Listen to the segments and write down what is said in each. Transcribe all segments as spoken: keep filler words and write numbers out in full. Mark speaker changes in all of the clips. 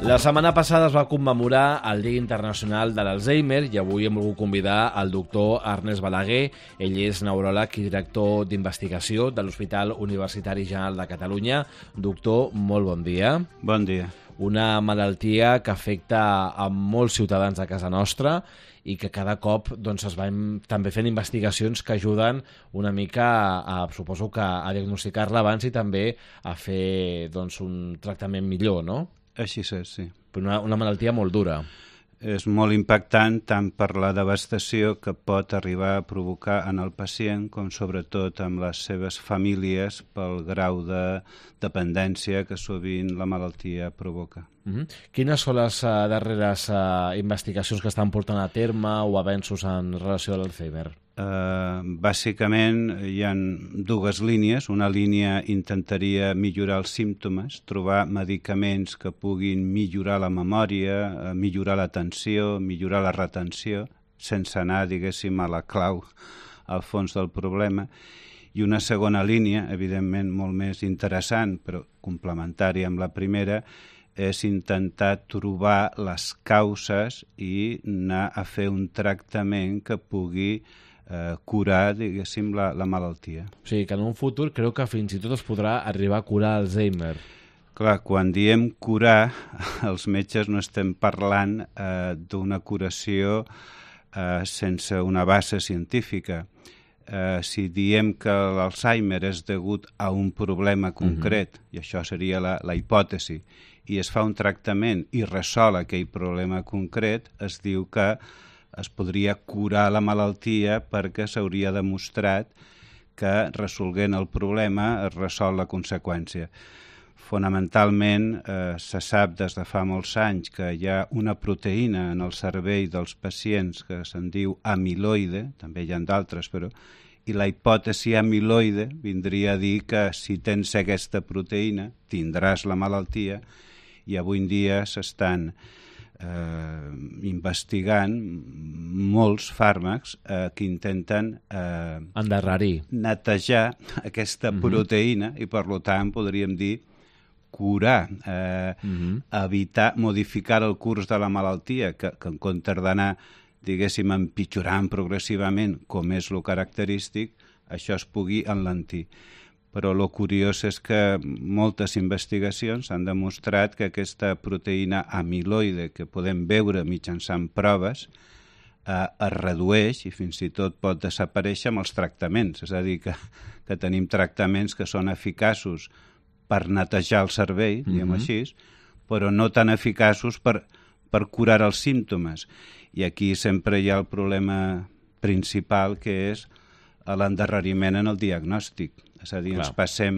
Speaker 1: La setmana passada es va commemorar el Dia Internacional de l'Alzheimer i avui hem volgut convidar el doctor Ernest Balaguer. Ell és neuròleg i director d'investigació de l'Hospital Universitari General de Catalunya. Doctor, molt bon dia.
Speaker 2: Bon dia.
Speaker 1: Una malaltia que afecta a molts ciutadans de casa nostra i que cada cop doncs, es van també fent investigacions que ajuden una mica a, a suposo que a diagnosticar-la abans i també a fer doncs, un tractament millor, no?
Speaker 2: Així és, sí.
Speaker 1: Una, una malaltia molt dura.
Speaker 2: És molt impactant tant per la devastació que pot arribar a provocar en el pacient com sobretot amb les seves famílies pel grau de dependència que sovint la malaltia provoca.
Speaker 1: Mm-hmm. Quines són les uh, darreres uh, investigacions que estan portant a terme o avenços en relació a l'Alzheimer?
Speaker 2: Uh, bàsicament hi ha dues línies. Una línia intentaria millorar els símptomes, trobar medicaments que puguin millorar la memòria, uh, millorar l'atenció, millorar la retenció, sense anar, diguéssim, a la clau al fons del problema. I una segona línia, evidentment molt més interessant, però complementària amb la primera, és intentar trobar les causes i anar a fer un tractament que pugui eh, curar, diguéssim, la, la malaltia.
Speaker 1: O sigui, que en un futur creu que fins i tot es podrà arribar a curar Alzheimer.
Speaker 2: Clar, quan diem curar, els metges no estem parlant eh, d'una curació eh, sense una base científica. Eh, si diem que l'Alzheimer és degut a un problema concret, uh-huh. i això seria la, la hipòtesi, i es fa un tractament i resol aquell problema concret, es diu que es podria curar la malaltia perquè s'hauria demostrat que resolguent el problema es resol la conseqüència. Fonamentalment eh, se sap des de fa molts anys que hi ha una proteïna en el cervell dels pacients que se'n diu amiloide, també hi ha d'altres, però i la hipòtesi amiloide vindria a dir que si tens aquesta proteïna tindràs la malaltia, i avui en dia s'estan eh, investigant molts fàrmacs eh, que intenten eh,
Speaker 1: endarrerir,
Speaker 2: netejar aquesta uh-huh. proteïna i per tant podríem dir curar, eh, uh-huh. evitar, modificar el curs de la malaltia, que, que en comptes d'anar, diguéssim, empitjorant progressivament, com és el característic, això es pugui enlentir. Però el curiós és que moltes investigacions han demostrat que aquesta proteïna amiloide que podem veure mitjançant proves eh, es redueix i fins i tot pot desaparèixer amb els tractaments. És a dir, que, que tenim tractaments que són eficaços per netejar el cervell, diguem mm-hmm. així, però no tan eficaços per, per curar els símptomes. I aquí sempre hi ha el problema principal, que és l'endarreriment en el diagnòstic. És a dir, Clar. ens passem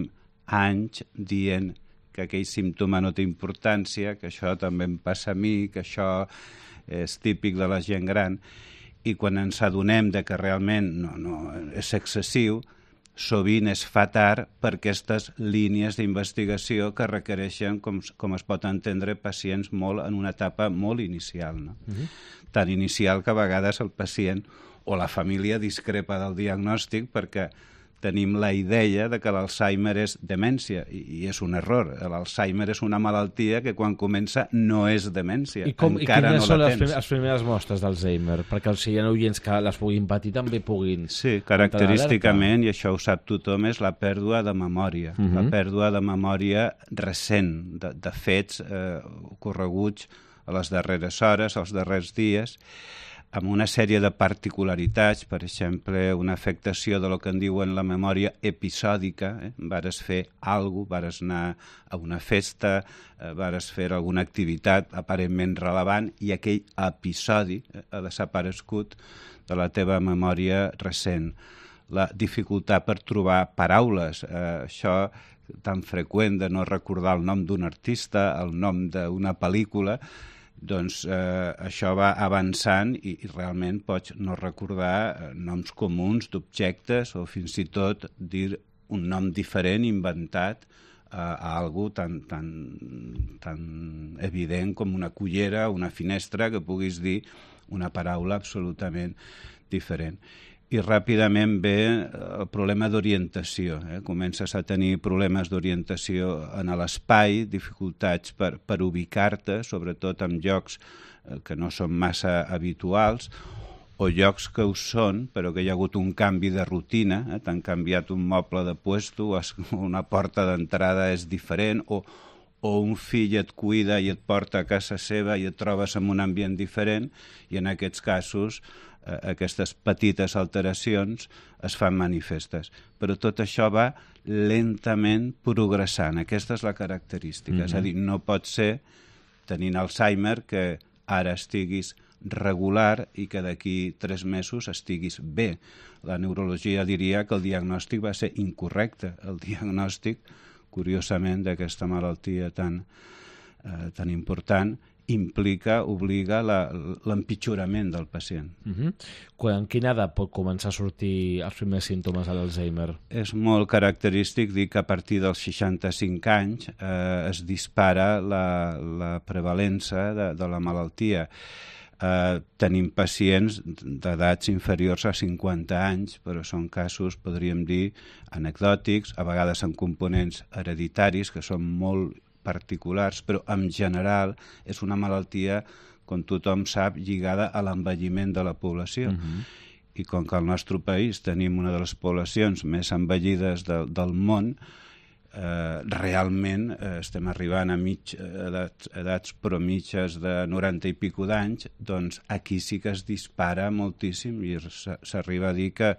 Speaker 2: anys dient que aquell símptoma no té importància, que això també em passa a mi, que això és típic de la gent gran, i quan ens adonem de que realment no, no, és excessiu, sovint es fa tard per aquestes línies d'investigació que requereixen, com, com es pot entendre, pacients molt en una etapa molt inicial. No? Uh-huh. Tan inicial que a vegades el pacient o la família discrepa del diagnòstic perquè tenim la idea de que l'Alzheimer és demència, i, i és un error. L'Alzheimer és una malaltia que quan comença no és demència.
Speaker 1: I, com,
Speaker 2: encara
Speaker 1: i quines
Speaker 2: no
Speaker 1: són
Speaker 2: la
Speaker 1: les,
Speaker 2: tens.
Speaker 1: prim les primeres mostres d'Alzheimer? Perquè els hi ha oients que les puguin patir també puguin...
Speaker 2: Sí, característicament, i això ho sap tothom, és la pèrdua de memòria. Uh-huh. La pèrdua de memòria recent, de, de fets eh, ocorreguts a les darreres hores, als darrers dies, amb una sèrie de particularitats, per exemple, una afectació de lo que en diuen la memòria episòdica, eh? vares fer alguna cosa, vares anar a una festa, eh, vares fer alguna activitat aparentment rellevant i aquell episodi eh, ha desaparegut de la teva memòria recent. La dificultat per trobar paraules, eh, això tan freqüent de no recordar el nom d'un artista, el nom d'una pel·lícula, doncs eh, això va avançant i, i realment pots no recordar eh, noms comuns d'objectes o fins i tot dir un nom diferent inventat eh, a algú tan, tan, tan evident com una cullera o una finestra que puguis dir una paraula absolutament diferent. i ràpidament ve el problema d'orientació. Eh? Comences a tenir problemes d'orientació en l'espai, dificultats per, per ubicar-te, sobretot en llocs eh, que no són massa habituals, o llocs que ho són, però que hi ha hagut un canvi de rutina, eh? T'han canviat un moble de puesto, una porta d'entrada és diferent, o, o un fill et cuida i et porta a casa seva i et trobes en un ambient diferent, i en aquests casos aquestes petites alteracions es fan manifestes. Però tot això va lentament progressant. Aquesta és la característica. Mm-hmm. És a dir, no pot ser, tenint Alzheimer, que ara estiguis regular i que d'aquí tres mesos estiguis bé. La neurologia diria que el diagnòstic va ser incorrecte. El diagnòstic, curiosament, d'aquesta malaltia tan, eh, tan important, implica, obliga l'empitjorament del pacient.
Speaker 1: Uh-huh. Quan, en quina edat pot començar a sortir els primers símptomes de l'Alzheimer?
Speaker 2: És molt característic dir que a partir dels seixanta-cinc anys eh, es dispara la, la prevalença de, de la malaltia. Eh, tenim pacients d'edats inferiors a cinquanta anys, però són casos, podríem dir, anecdòtics, a vegades amb components hereditaris que són molt particulars, però en general és una malaltia, com tothom sap, lligada a l'envelliment de la població. Uh-huh. I com que al nostre país tenim una de les poblacions més envellides de, del món, eh, realment eh, estem arribant a mig, edats, edats però mitges de noranta i pico d'anys, doncs aquí sí que es dispara moltíssim i s'arriba a dir que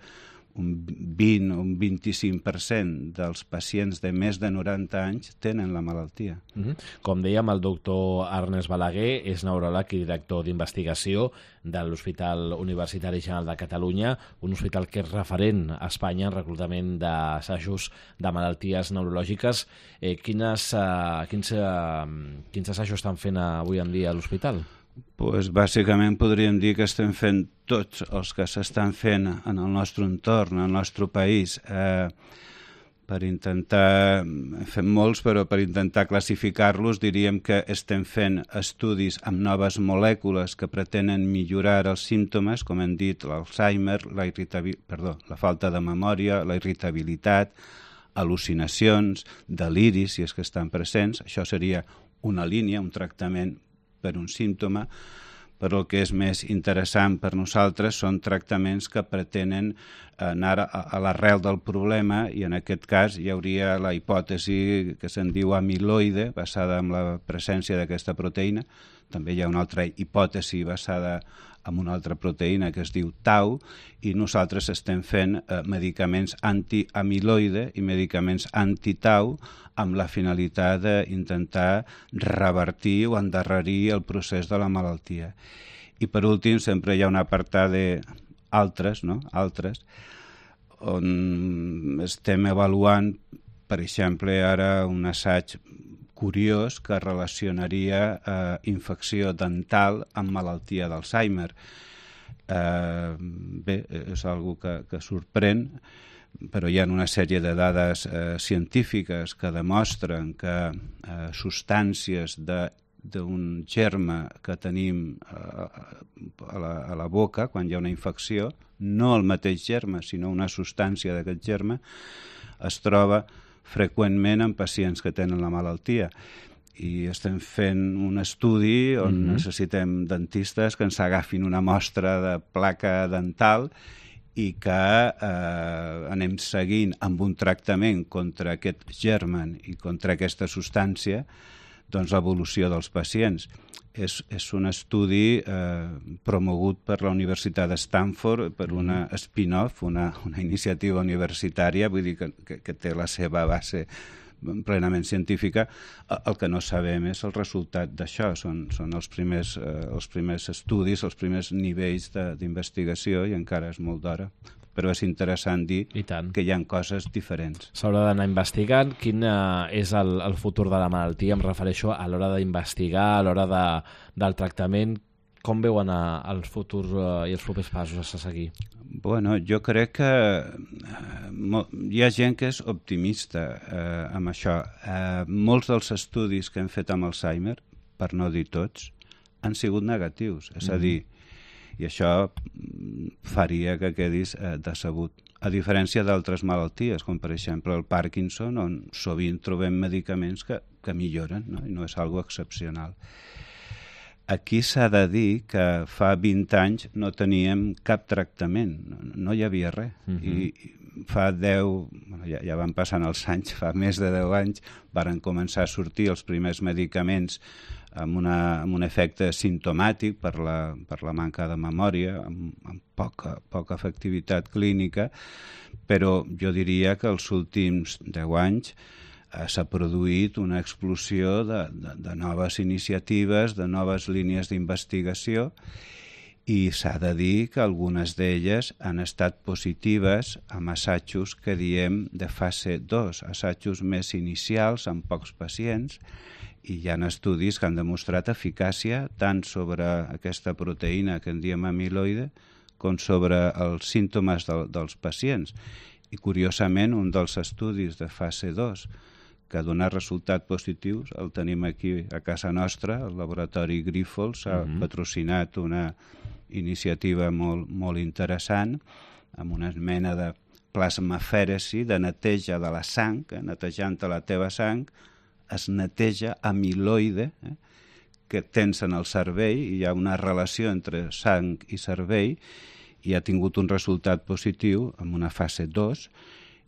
Speaker 2: un vint o un vint-i-cinc per cent dels pacients de més de noranta anys tenen la malaltia.
Speaker 1: Mm-hmm. Com dèiem, el doctor Ernest Balaguer és neuròleg i director d'investigació de l'Hospital Universitari General de Catalunya, un hospital que és referent a Espanya en reclutament d'assajos de malalties neurològiques. Eh, quines, eh, quins, eh, quins assajos estan fent avui en dia a l'hospital?
Speaker 2: Pues, bàsicament podríem dir que estem fent tots els que s'estan fent en el nostre entorn, en el nostre país, eh, per intentar, fem molts, però per intentar classificar-los diríem que estem fent estudis amb noves molècules que pretenen millorar els símptomes, com hem dit, l'Alzheimer, la, perdó, la falta de memòria, la irritabilitat, al·lucinacions, deliris, si és que estan presents. Això seria una línia, un tractament per un símptoma, però el que és més interessant per nosaltres són tractaments que pretenen anar a, a l'arrel del problema, i en aquest cas hi hauria la hipòtesi que se'n diu amiloide, basada en la presència d'aquesta proteïna. També hi ha una altra hipòtesi basada en una altra proteïna que es diu tau, i nosaltres estem fent eh, medicaments anti-amiloide i medicaments anti-tau amb la finalitat d'intentar revertir o endarrerir el procés de la malaltia. I per últim sempre hi ha un apartat d'altres, no? Altres, on estem avaluant, per exemple, ara un assaig curiós que relacionaria eh, infecció dental amb malaltia d'Alzheimer. Eh, bé, és algo que, que sorprèn, però hi ha una sèrie de dades eh, científiques que demostren que eh, substàncies d'un germe que tenim eh, a, la, a la boca quan hi ha una infecció, no el mateix germe, sinó una substància d'aquest germe, es troba freqüentment en pacients que tenen la malaltia. I estem fent un estudi on mm-hmm. necessitem dentistes que ens agafin una mostra de placa dental i que eh, anem seguint amb un tractament contra aquest germen i contra aquesta substància, doncs l'evolució dels pacients. És, és un estudi eh, promogut per la Universitat de Stanford, per una spin-off, una, una iniciativa universitària, vull dir que, que, que té la seva base plenament científica. El que no sabem és el resultat d'això, són, són els, primers, eh, els primers estudis, els primers nivells d'investigació, i encara és molt d'hora. Però és interessant dir que hi ha coses diferents.
Speaker 1: S'haurà d'anar investigant. Quin uh, és el, el futur de la malaltia? Em refereixo a l'hora d'investigar, a l'hora de, del tractament. Com veuen uh, el futur uh, i els propers passos a seguir?
Speaker 2: Bueno, jo crec que uh, hi ha gent que és optimista uh, amb això. Uh, molts dels estudis que hem fet amb Alzheimer, per no dir tots, han sigut negatius. És a dir, i això faria que quedis eh, decebut. A diferència d'altres malalties, com per exemple el Parkinson, on sovint trobem medicaments que, que milloren, no? I no és algo excepcional. Aquí s'ha de dir que fa vint anys no teníem cap tractament, no, no hi havia res. Uh-huh. I fa deu, ja, ja van passant els anys, fa més de deu anys, varen començar a sortir els primers medicaments amb, una, amb un efecte simptomàtic per la, per la manca de memòria, amb, amb poca, poca efectivitat clínica, però jo diria que els últims deu anys eh, s'ha produït una explosió de, de, de noves iniciatives, de noves línies d'investigació, i s'ha de dir que algunes d'elles han estat positives amb assajos que diem de fase dos, assajos més inicials amb pocs pacients, i hi ha estudis que han demostrat eficàcia tant sobre aquesta proteïna que en diem amiloide com sobre els símptomes de, dels pacients. I curiosament un dels estudis de fase dos que ha donat resultats positius el tenim aquí a casa nostra, el laboratori Grifols ha uh-huh. patrocinat una iniciativa molt, molt interessant amb una mena de plasmafèresi, de neteja de la sang, eh? netejant la teva sang es neteja amiloide eh? que tens en el cervell, i hi ha una relació entre sang i cervell, i ha tingut un resultat positiu en una fase dos,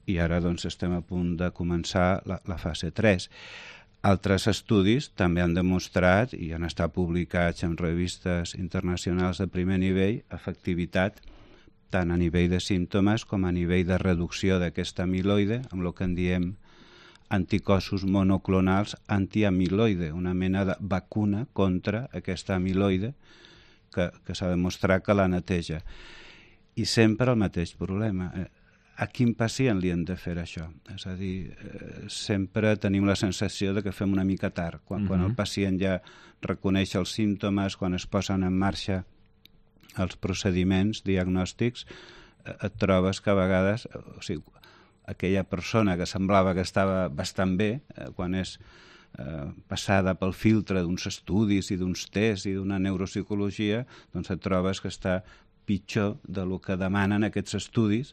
Speaker 2: i ara doncs estem a punt de començar la, la fase tres. Altres estudis també han demostrat i han estat publicats en revistes internacionals de primer nivell efectivitat tant a nivell de símptomes com a nivell de reducció d'aquesta amiloide, amb el que en diem anticossos monoclonals antiamiloide, una mena de vacuna contra aquesta amiloide que, que s'ha demostrat que la neteja. I sempre el mateix problema. A quin pacient li hem de fer això? És a dir, eh, sempre tenim la sensació de que fem una mica tard. Quan, uh-huh. quan el pacient ja reconeix els símptomes, quan es posen en marxa els procediments diagnòstics, eh, et trobes que a vegades, o sigui, aquella persona que semblava que estava bastant bé, eh, quan és eh, passada pel filtre d'uns estudis i d'uns tests i d'una neuropsicologia, doncs et trobes que està pitjor del que demanen aquests estudis,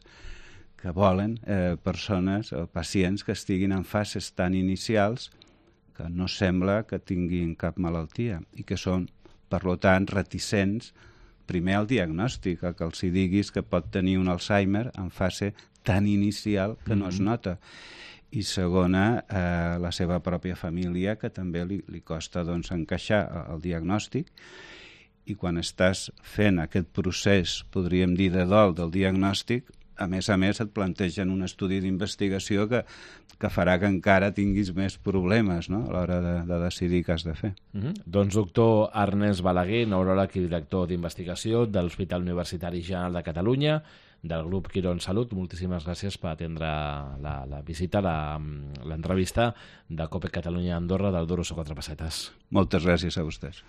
Speaker 2: que volen eh, persones o pacients que estiguin en fases tan inicials que no sembla que tinguin cap malaltia i que són, per tant, reticents primer al diagnòstic, que els hi diguis que pot tenir un Alzheimer en fase tan inicial que no es nota. I segona, eh, la seva pròpia família, que també li, li costa doncs, encaixar el diagnòstic, i quan estàs fent aquest procés, podríem dir, de dol del diagnòstic, a més a més et plantegen un estudi d'investigació que, que farà que encara tinguis més problemes, no?, a l'hora de, de decidir què has de fer.
Speaker 1: Uh-huh. Doncs doctor Ernest Balaguer, neuròleg i director d'investigació de l'Hospital Universitari General de Catalunya, del grup Quirón Salut, moltíssimes gràcies per atendre la, la visita, la, l'entrevista de COPE Catalunya Andorra del Duros o Quatre Pessetes.
Speaker 2: Moltes gràcies a vostès.